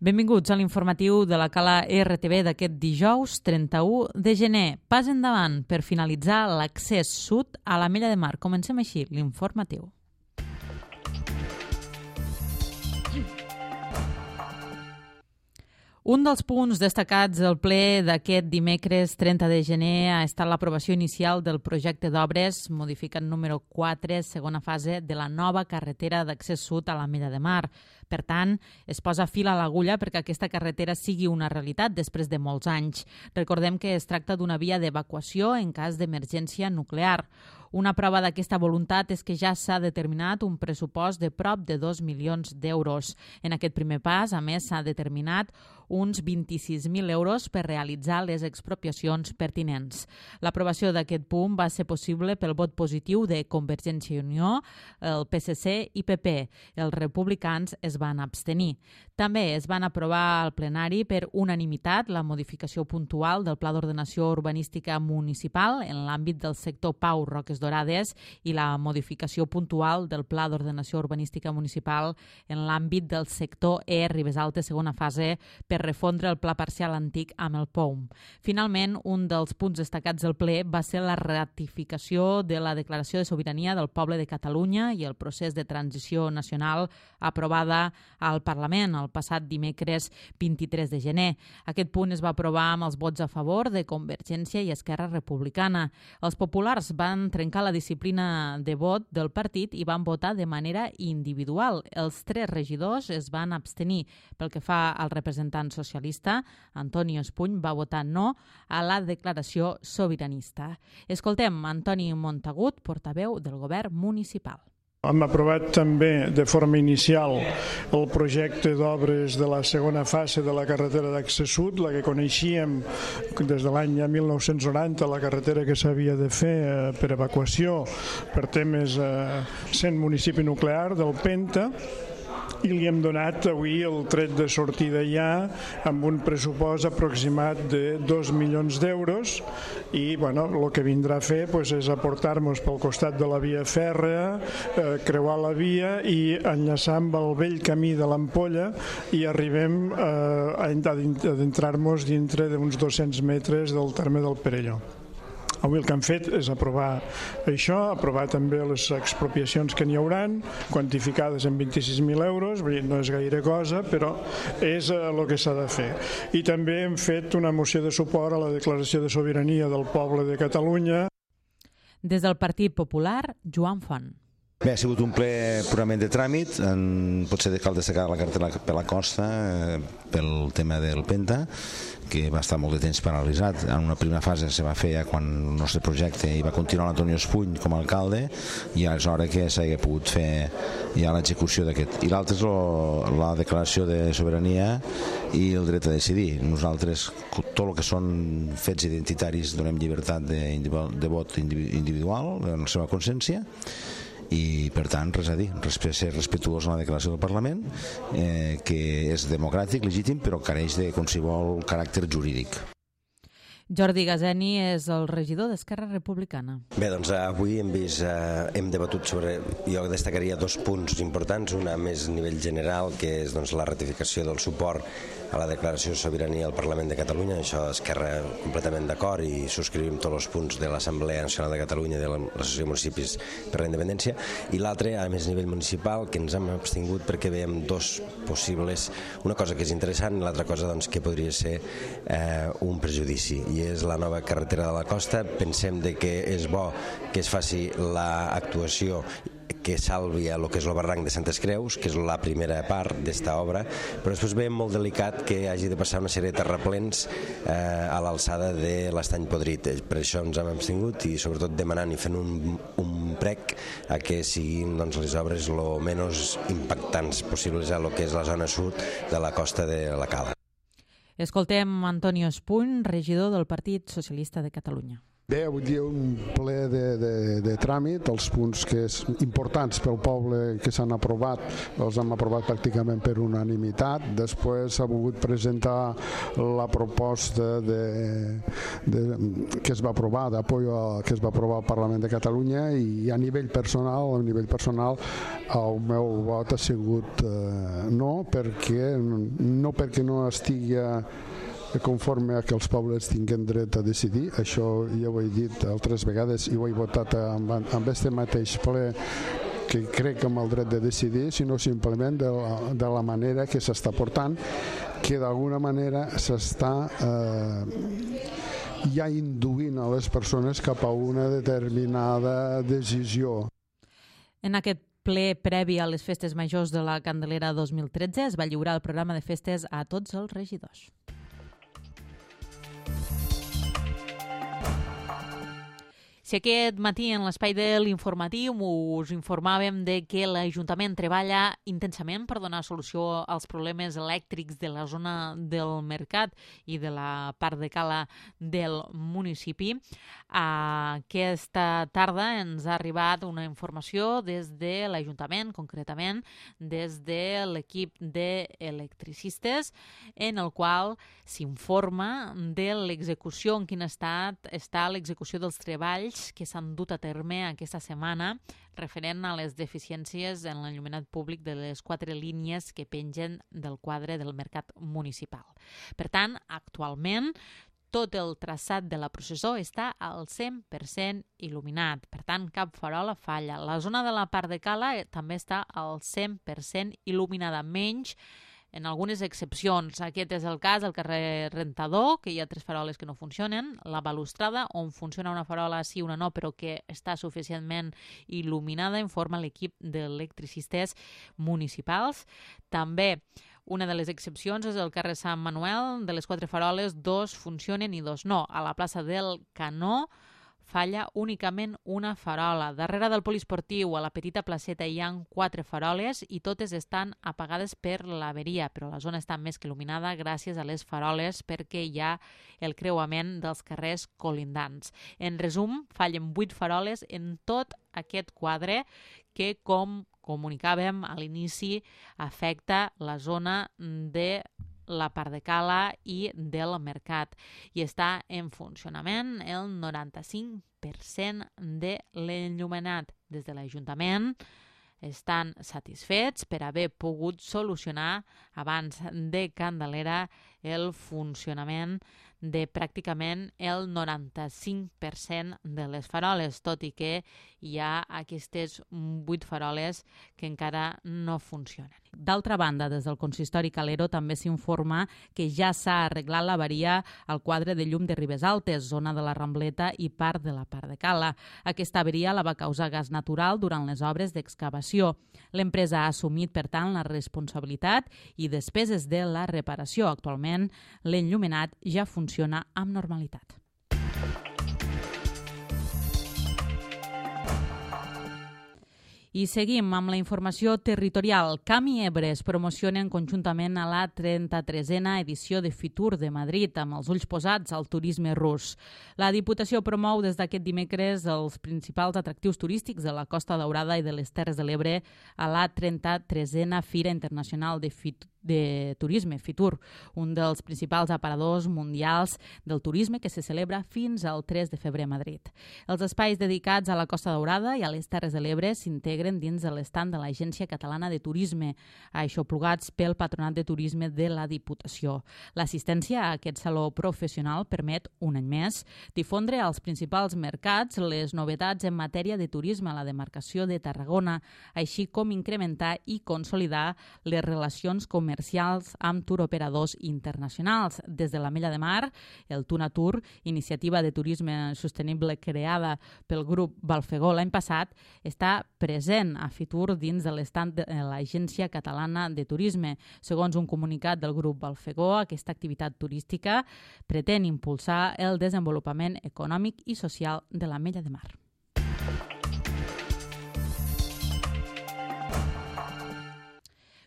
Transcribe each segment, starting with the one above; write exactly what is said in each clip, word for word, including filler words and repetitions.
Benvinguts a l'informatiu de la Cala R T V d'aquest dijous trenta-u de gener. Pas endavant per finalitzar l'accés sud a l'Ametlla de Mar. Comencem així l'informatiu. Un dels punts destacats del ple d'aquest dimecres trenta de gener ha estat l'aprovació inicial del projecte d'obres modificant número quatre, segona fase de la nova carretera d'accés sud a l'Ametlla de Mar. Per tant, es posa fil a l'agulla perquè aquesta carretera sigui una realitat després de molts anys. Recordem que es tracta d'una via d'evacuació en cas d'emergència nuclear. Una prova d'aquesta voluntat és que ja s'ha determinat un pressupost de prop de dos milions d'euros. En aquest primer pas, a més, s'ha determinat uns vint-i-sis mil euros per realitzar les expropiacions pertinents. L'aprovació d'aquest punt va ser possible pel vot positiu de Convergència i Unió, el P S C i P P. Els republicans es van abstenir. També es van aprovar al plenari per unanimitat la modificació puntual del Pla d'Ordenació Urbanística Municipal en l'àmbit del sector Pau Roques Dorades i la modificació puntual del Pla d'Ordenació Urbanística Municipal en l'àmbit del sector E Ribes Altes, segona fase, per refondre el pla parcial antic amb el P O U M. Finalment, un dels punts destacats del ple va ser la ratificació de la Declaració de Sobirania del Poble de Catalunya i el procés de transició nacional aprovada al Parlament el passat dimecres vint-i-tres de gener. Aquest punt es va aprovar amb els vots a favor de Convergència i Esquerra Republicana. Els populars van trencar la disciplina de vot del partit i van votar de manera individual. Els tres regidors es van abstenir. Pel que fa al representant socialista, Antoni Espuny va votar no a la declaració sobiranista. Escoltem Antoni Montagut, portaveu del govern municipal. Hem aprovat també de forma inicial el projecte d'obres de la segona fase de la carretera d'accés sud, la que coneixíem des de l'any mil nou-cents noranta, la carretera que s'havia de fer per evacuació per temes sent municipi nuclear del Penta, i li hem donat avui el tret de sortida ja amb un pressupost aproximat de dos milions d'euros i bueno, el que vindrà a fer pues, és aportar-nos pel costat de la via fèrrea, eh, creuar la via i enllaçar amb el vell camí de l'Ampolla i arribem eh, a adentrar-nos dintre d'uns dos-cents metres del terme del Perelló. Avui el que hem fet és aprovar això, aprovar també les expropiacions que n'hi hauran, quantificades en vint-i-sis mil euros, no és gaire cosa, però és el que s'ha de fer. I també hem fet una moció de suport a la declaració de sobirania del poble de Catalunya. Des del Partit Popular, Joan Font. Bé, ha sigut un ple purament de tràmit, en, potser cal destacar la carretera per la costa eh, pel tema del Penta, que va estar molt de temps paralitzat. En una primera fase se va fer ja quan el nostre projecte i va continuar l'Antoni Espuny com a alcalde i és hora que s'hagi pogut fer ja l'execució d'aquest. I l'altre és lo, la declaració de sobirania i el dret a decidir. Nosaltres, tot el que són fets identitaris, donem llibertat de, de vot individual en la seva consciència i per tant res a dir, ser respectuós en la declaració del Parlament, eh, que és democràtic, legítim, però careix de qualsevol caràcter jurídic. Jordi Gazeni és el regidor d'Esquerra Republicana. Bé, doncs avui hem vist, eh, hem debatut sobre, jo destacaria dos punts importants, una més a nivell general, que és doncs, la ratificació del suport a la declaració de sobirania al Parlament de Catalunya. Això Esquerra completament d'acord i subscrivim tots els punts de l'Assemblea Nacional de Catalunya i de l'Associació de Municipis per la Independència. I l'altre, a més a nivell municipal, que ens hem abstingut perquè veiem dos possibles, una cosa que és interessant i l'altra cosa doncs, que podria ser eh, un prejudici, i és la nova carretera de la costa. Pensem de que és bo que es faci l'actuació que salvi el que és el barranc de Santes Creus, que és la primera part d'esta obra, però després veiem molt delicat que hagi de passar una sèrie de terraplens eh, a l'alçada de l'Estany Podrit. Per això ens hem abstingut i sobretot demanant i fent un, un prec a que siguin doncs, les obres el menys impactants possibles a lo que és la zona sud de la costa de la Cala. Escoltem Antoni Espuny, regidor del Partit Socialista de Catalunya. Bé, avui dia un ple de, de, de tràmit, els punts que és importants pel poble que s'han aprovat, els hem aprovat pràcticament per unanimitat. Després s'ha volgut presentar la proposta de, de, que es va aprovar, d'apoyo que es va aprovar al Parlament de Catalunya, i a nivell personal, a nivell personal el meu vot ha sigut eh, no, perquè, no perquè no estigui conforme a que els pobles tinguen dret a decidir. Això ja ho he dit altres vegades i ho he votat amb, amb este mateix ple, que crec amb el dret de decidir, sinó simplement de la, de la manera que s'està portant, que d'alguna manera s'està eh, ja induint a les persones cap a una determinada decisió. En aquest ple previ a les festes majors de la Candelera dos mil tretze es va lliurar el programa de festes a tots els regidors. Si aquest matí en l'espai de l'informatiu us informàvem de que l'Ajuntament treballa intensament per donar solució als problemes elèctrics de la zona del Mercat i de la part de cala del municipi, aquesta tarda ens ha arribat una informació des de l'Ajuntament, concretament des de l'equip d'electricistes, en el qual s'informa de l'execució, en quin estat està l'execució dels treballs que s'han dut a terme aquesta setmana referent a les deficiències en l'enllumenat públic de les quatre línies que pengen del quadre del Mercat municipal. Per tant, actualment, tot el traçat de la processó està al cent per cent il·luminat. Per tant, cap farola falla. La zona de la part de cala també està al cent per cent il·luminada, menys en algunes excepcions. Aquest és el cas del carrer Rentador, que hi ha tres faroles que no funcionen, la balustrada, on funciona una farola sí, una no, però que està suficientment il·luminada, informa l'equip d'electricistes municipals. També una de les excepcions és el carrer Sant Manuel, de les quatre faroles, dos funcionen i dos no. A la plaça del Canó falla únicament una farola. Darrere del poliesportiu, a la petita placeta, hi ha quatre faroles i totes estan apagades per l'averia, però la zona està més que il·luminada gràcies a les faroles perquè hi ha el creuament dels carrers colindants. En resum, fallen vuit faroles en tot aquest quadre que, com comunicàvem a l'inici, afecta la zona de la part de cala i del mercat, i està en funcionament el noranta-cinc per cent de l'enllumenat. Des de l'Ajuntament estan satisfets per haver pogut solucionar abans de Candelera el funcionament de pràcticament el noranta-cinc per cent de les faroles, tot i que hi ha aquestes vuit faroles que encara no funcionen. D'altra banda, des del consistori Calero també s'informa que ja s'ha arreglat l'avaria al quadre de llum de Ribes Altes, zona de la Rambleta i part de la part de cala. Aquesta avaria la va causar gas natural durant les obres d'excavació. L'empresa ha assumit, per tant, la responsabilitat i despeses de la reparació. Actualment, l'enllumenat ja funciona amb normalitat. I seguim amb la informació territorial. Cam i Ebre es promocionen conjuntament a la trenta-tresena edició de Fitur de Madrid, amb els ulls posats al turisme rus. La Diputació promou des d'aquest dimecres els principals atractius turístics de la Costa Daurada i de les Terres de l'Ebre a la trenta-tresena Fira Internacional de Fitur de Turisme, Fitur, un dels principals aparadors mundials del turisme que se celebra fins al tres de febrer a Madrid. Els espais dedicats a la Costa Daurada i a les Terres de l'Ebre s'integren dins de l'estand de l'Agència Catalana de Turisme, aixoplugats pel Patronat de Turisme de la Diputació. L'assistència a aquest saló professional permet, un any més, difondre als principals mercats les novetats en matèria de turisme a la demarcació de Tarragona, així com incrementar i consolidar les relacions comercials amb turoperadors internacionals. Des de l'Ametlla de Mar, el Tunatur, iniciativa de turisme sostenible creada pel grup Balfegó l'any passat, està present a Fitur dins de l'estand de l'Agència Catalana de Turisme. Segons un comunicat del grup Balfegó, aquesta activitat turística pretén impulsar el desenvolupament econòmic i social de l'Ametlla de Mar.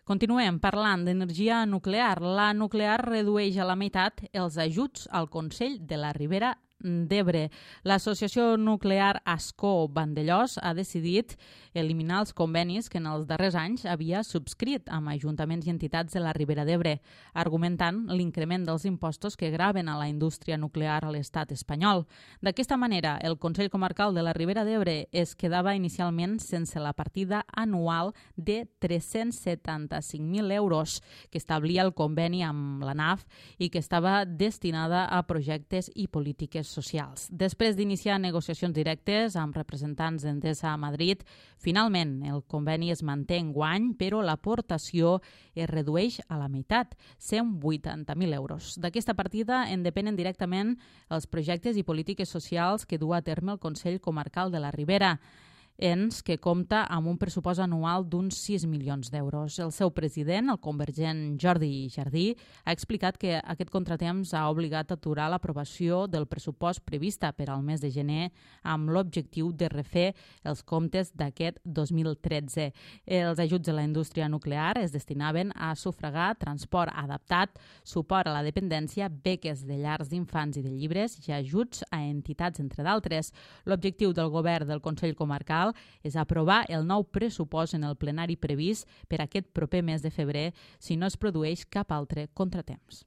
Continuem parlant d'energia nuclear. La nuclear redueix a la meitat els ajuts al Consell de la Ribera d'Ebre. L'associació nuclear Ascó Vandellòs ha decidit eliminar els convenis que en els darrers anys havia subscrit amb ajuntaments i entitats de la Ribera d'Ebre, argumentant l'increment dels impostos que graven a la indústria nuclear a l'estat espanyol. D'aquesta manera, el Consell Comarcal de la Ribera d'Ebre es quedava inicialment sense la partida anual de tres-cents setanta-cinc mil euros que establia el conveni amb la N A F i que estava destinada a projectes i polítiques socials. Després d'iniciar negociacions directes amb representants d'Endesa a Madrid, finalment el conveni es manté enguany, però l'aportació es redueix a la meitat, cent vuitanta mil euros. D'aquesta partida en depenen directament els projectes i polítiques socials que du a terme el Consell Comarcal de la Ribera, ens que compta amb un pressupost anual d'uns sis milions d'euros. El seu president, el convergent Jordi Jardí, ha explicat que aquest contratemps ha obligat a aturar l'aprovació del pressupost prevista per al mes de gener amb l'objectiu de refer els comptes d'aquest dos mil tretze. Els ajuts a la indústria nuclear es destinaven a sufragar transport adaptat, suport a la dependència, beques de llars d'infants i de llibres i ajuts a entitats, entre d'altres. L'objectiu del govern del Consell Comarcal és aprovar el nou pressupost en el plenari previst per aquest proper mes de febrer si no es produeix cap altre contratemps.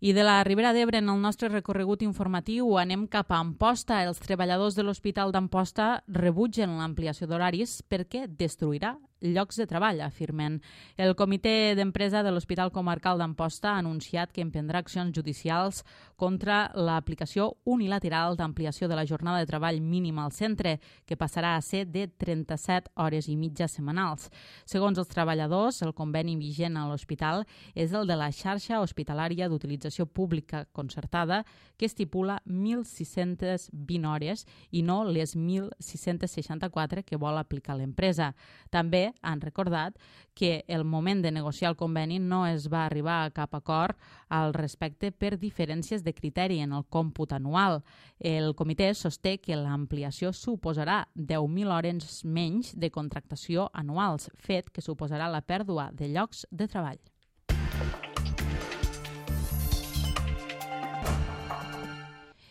I de la Ribera d'Ebre, en el nostre recorregut informatiu, anem cap a Amposta. Els treballadors de l'Hospital d'Amposta rebutgen l'ampliació d'horaris perquè destruirà llocs de treball, afirmen. El comitè d'empresa de l'Hospital Comarcal d'Amposta ha anunciat que emprendrà accions judicials contra l'aplicació unilateral d'ampliació de la jornada de treball mínima al centre, que passarà a ser de trenta-set hores i mitja setmanals. Segons els treballadors, el conveni vigent a l'hospital és el de la xarxa hospitalària d'utilització pública concertada, que estipula mil sis-centes vint hores i no les mil sis-centes seixanta-quatre que vol aplicar l'empresa. També han recordat que el moment de negociar el conveni no es va arribar a cap acord al respecte per diferències de criteri en el còmput anual. El comitè sosté que l'ampliació suposarà deu mil hores menys de contractació anuals, fet que suposarà la pèrdua de llocs de treball.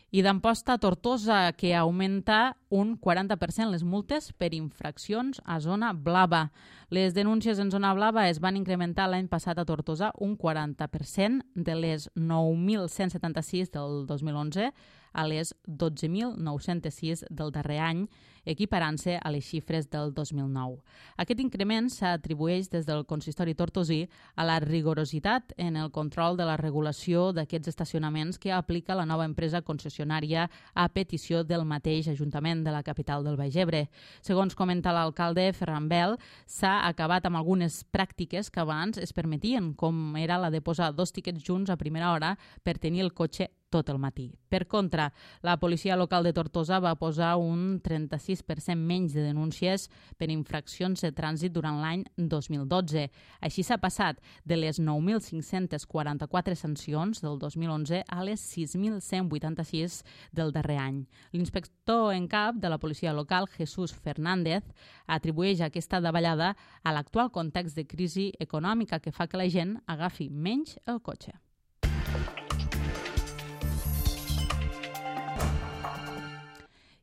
I d'Amposta a Tortosa, que augmenta un quaranta per cent les multes per infraccions a zona blava. Les denúncies en zona blava es van incrementar l'any passat a Tortosa un quaranta per cent, de les nou mil cent setanta-sis del dos mil onze a les dotze mil nou-cents sis del darrer any, equiparant-se a les xifres del dos mil nou. Aquest increment s'atribueix des del consistori tortosí a la rigorositat en el control de la regulació d'aquests estacionaments que aplica la nova empresa concessionària a petició del mateix Ajuntament de la capital del Baix Ebre. Segons comenta l'alcalde Ferran Bel, s'ha acabat amb algunes pràctiques que abans es permetien, com era la de posar dos tiquets junts a primera hora per tenir el cotxe tot el matí. Per contra, la policia local de Tortosa va posar un trenta-sis per cent menys de denúncies per infraccions de trànsit durant l'any dos mil dotze. Així s'ha passat de les nou mil cinc-cents quaranta-quatre sancions del dos mil onze a les sis mil cent vuitanta-sis del darrer any. L'inspector en cap de la policia local, Jesús Fernández, atribueix aquesta davallada a l'actual context de crisi econòmica que fa que la gent agafi menys el cotxe.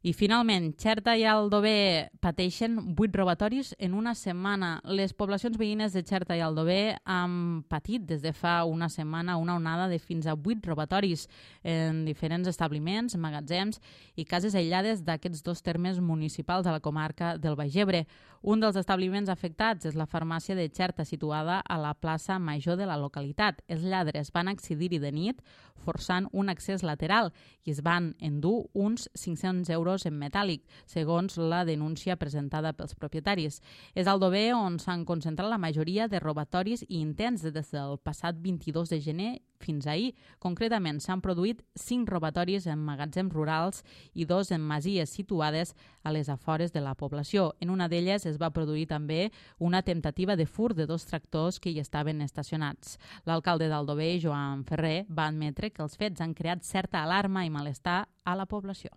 I finalment, Xerta i Aldover pateixen vuit robatoris en una setmana. Les poblacions veïnes de Xerta i Aldover han patit des de fa una setmana una onada de fins a vuit robatoris en diferents establiments, magatzems i cases aïllades d'aquests dos termes municipals de la comarca del Baix Ebre. Un dels establiments afectats és la farmàcia de Xerta, situada a la plaça Major de la localitat. Els lladres van accedir-hi de nit, forçant un accés lateral i es van endur uns cinc-cents euros en metàl·lic, segons la denúncia presentada pels propietaris. És al Aldover on s'han concentrat la majoria de robatoris i intents des del passat vint-i-dos de gener fins ahir. Concretament, s'han produït cinc robatoris en magatzems rurals i dos en masies situades a les afores de la població. En una d'elles es va produir també una temptativa de furt de dos tractors que hi estaven estacionats. L'alcalde d'Aldover, Joan Ferrer, va admetre que els fets han creat certa alarma i malestar a la població.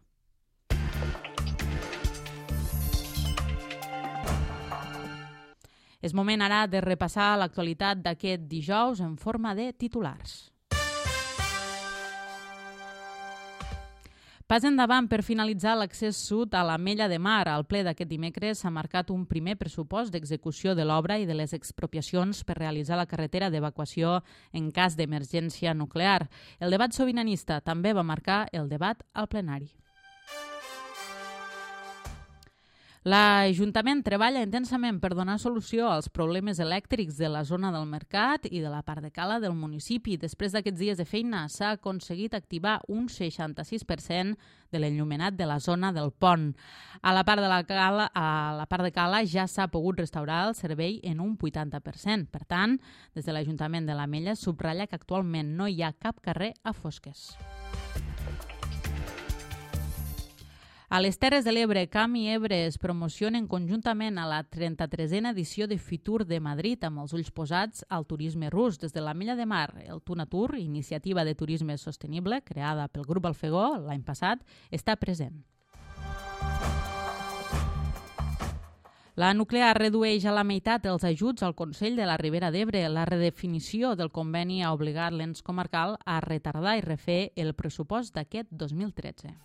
És moment ara de repassar l'actualitat d'aquest dijous en forma de titulars. Pas endavant per finalitzar l'accés sud a l'Ametlla de Mar. Al ple d'aquest dimecres s'ha marcat un primer pressupost d'execució de l'obra i de les expropiacions per realitzar la carretera d'evacuació en cas d'emergència nuclear. El debat sobiranista també va marcar el debat al plenari. L'Ajuntament treballa intensament per donar solució als problemes elèctrics de la zona del Mercat i de la part de Cala del municipi. Després d'aquests dies de feina s'ha aconseguit activar un seixanta-sis per cent de l'enllumenat de la zona del pont. A la part de, la Cala, a la part de Cala ja s'ha pogut restaurar el servei en un vuitanta per cent. Per tant, des de l'Ajuntament de l'Ametlla subratlla que actualment no hi ha cap carrer a fosques. A les Terres de l'Ebre, Camp i Ebre es promocionen conjuntament a la trenta-tresena edició de Fitur de Madrid amb els ulls posats al turisme rus. Des de l'Ametlla de Mar, el Tunatur, iniciativa de turisme sostenible creada pel grup Alfegó l'any passat, està present. La nuclear redueix a la meitat els ajuts al Consell de la Ribera d'Ebre. La redefinició del conveni ha obligat l'ens comarcal a retardar i refer el pressupost d'aquest dos mil tretze.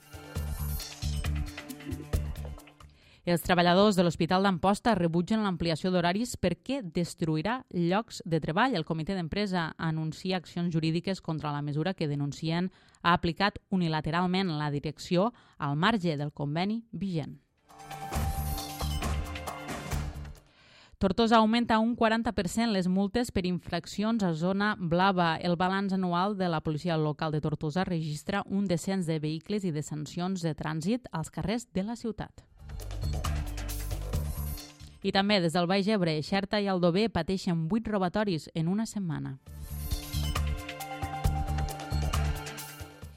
Els treballadors de l'Hospital d'Amposta rebutgen l'ampliació d'horaris perquè destruirà llocs de treball. El comitè d'empresa anuncia accions jurídiques contra la mesura que denuncien ha aplicat unilateralment la direcció al marge del conveni vigent. Tortosa augmenta un quaranta per cent les multes per infraccions a zona blava. El balanç anual de la policia local de Tortosa registra un descens de vehicles i de sancions de trànsit als carrers de la ciutat. I també des del Baix Ebre, Xerta i Aldover pateixen vuit robatoris en una setmana.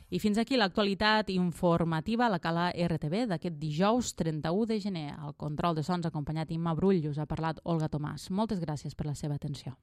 I fins aquí l'actualitat informativa a la Cala R T V d'aquest dijous trenta-u de gener. Al control de sons acompanyat Imma Brull us ha parlat Olga Tomàs. Moltes gràcies per la seva atenció.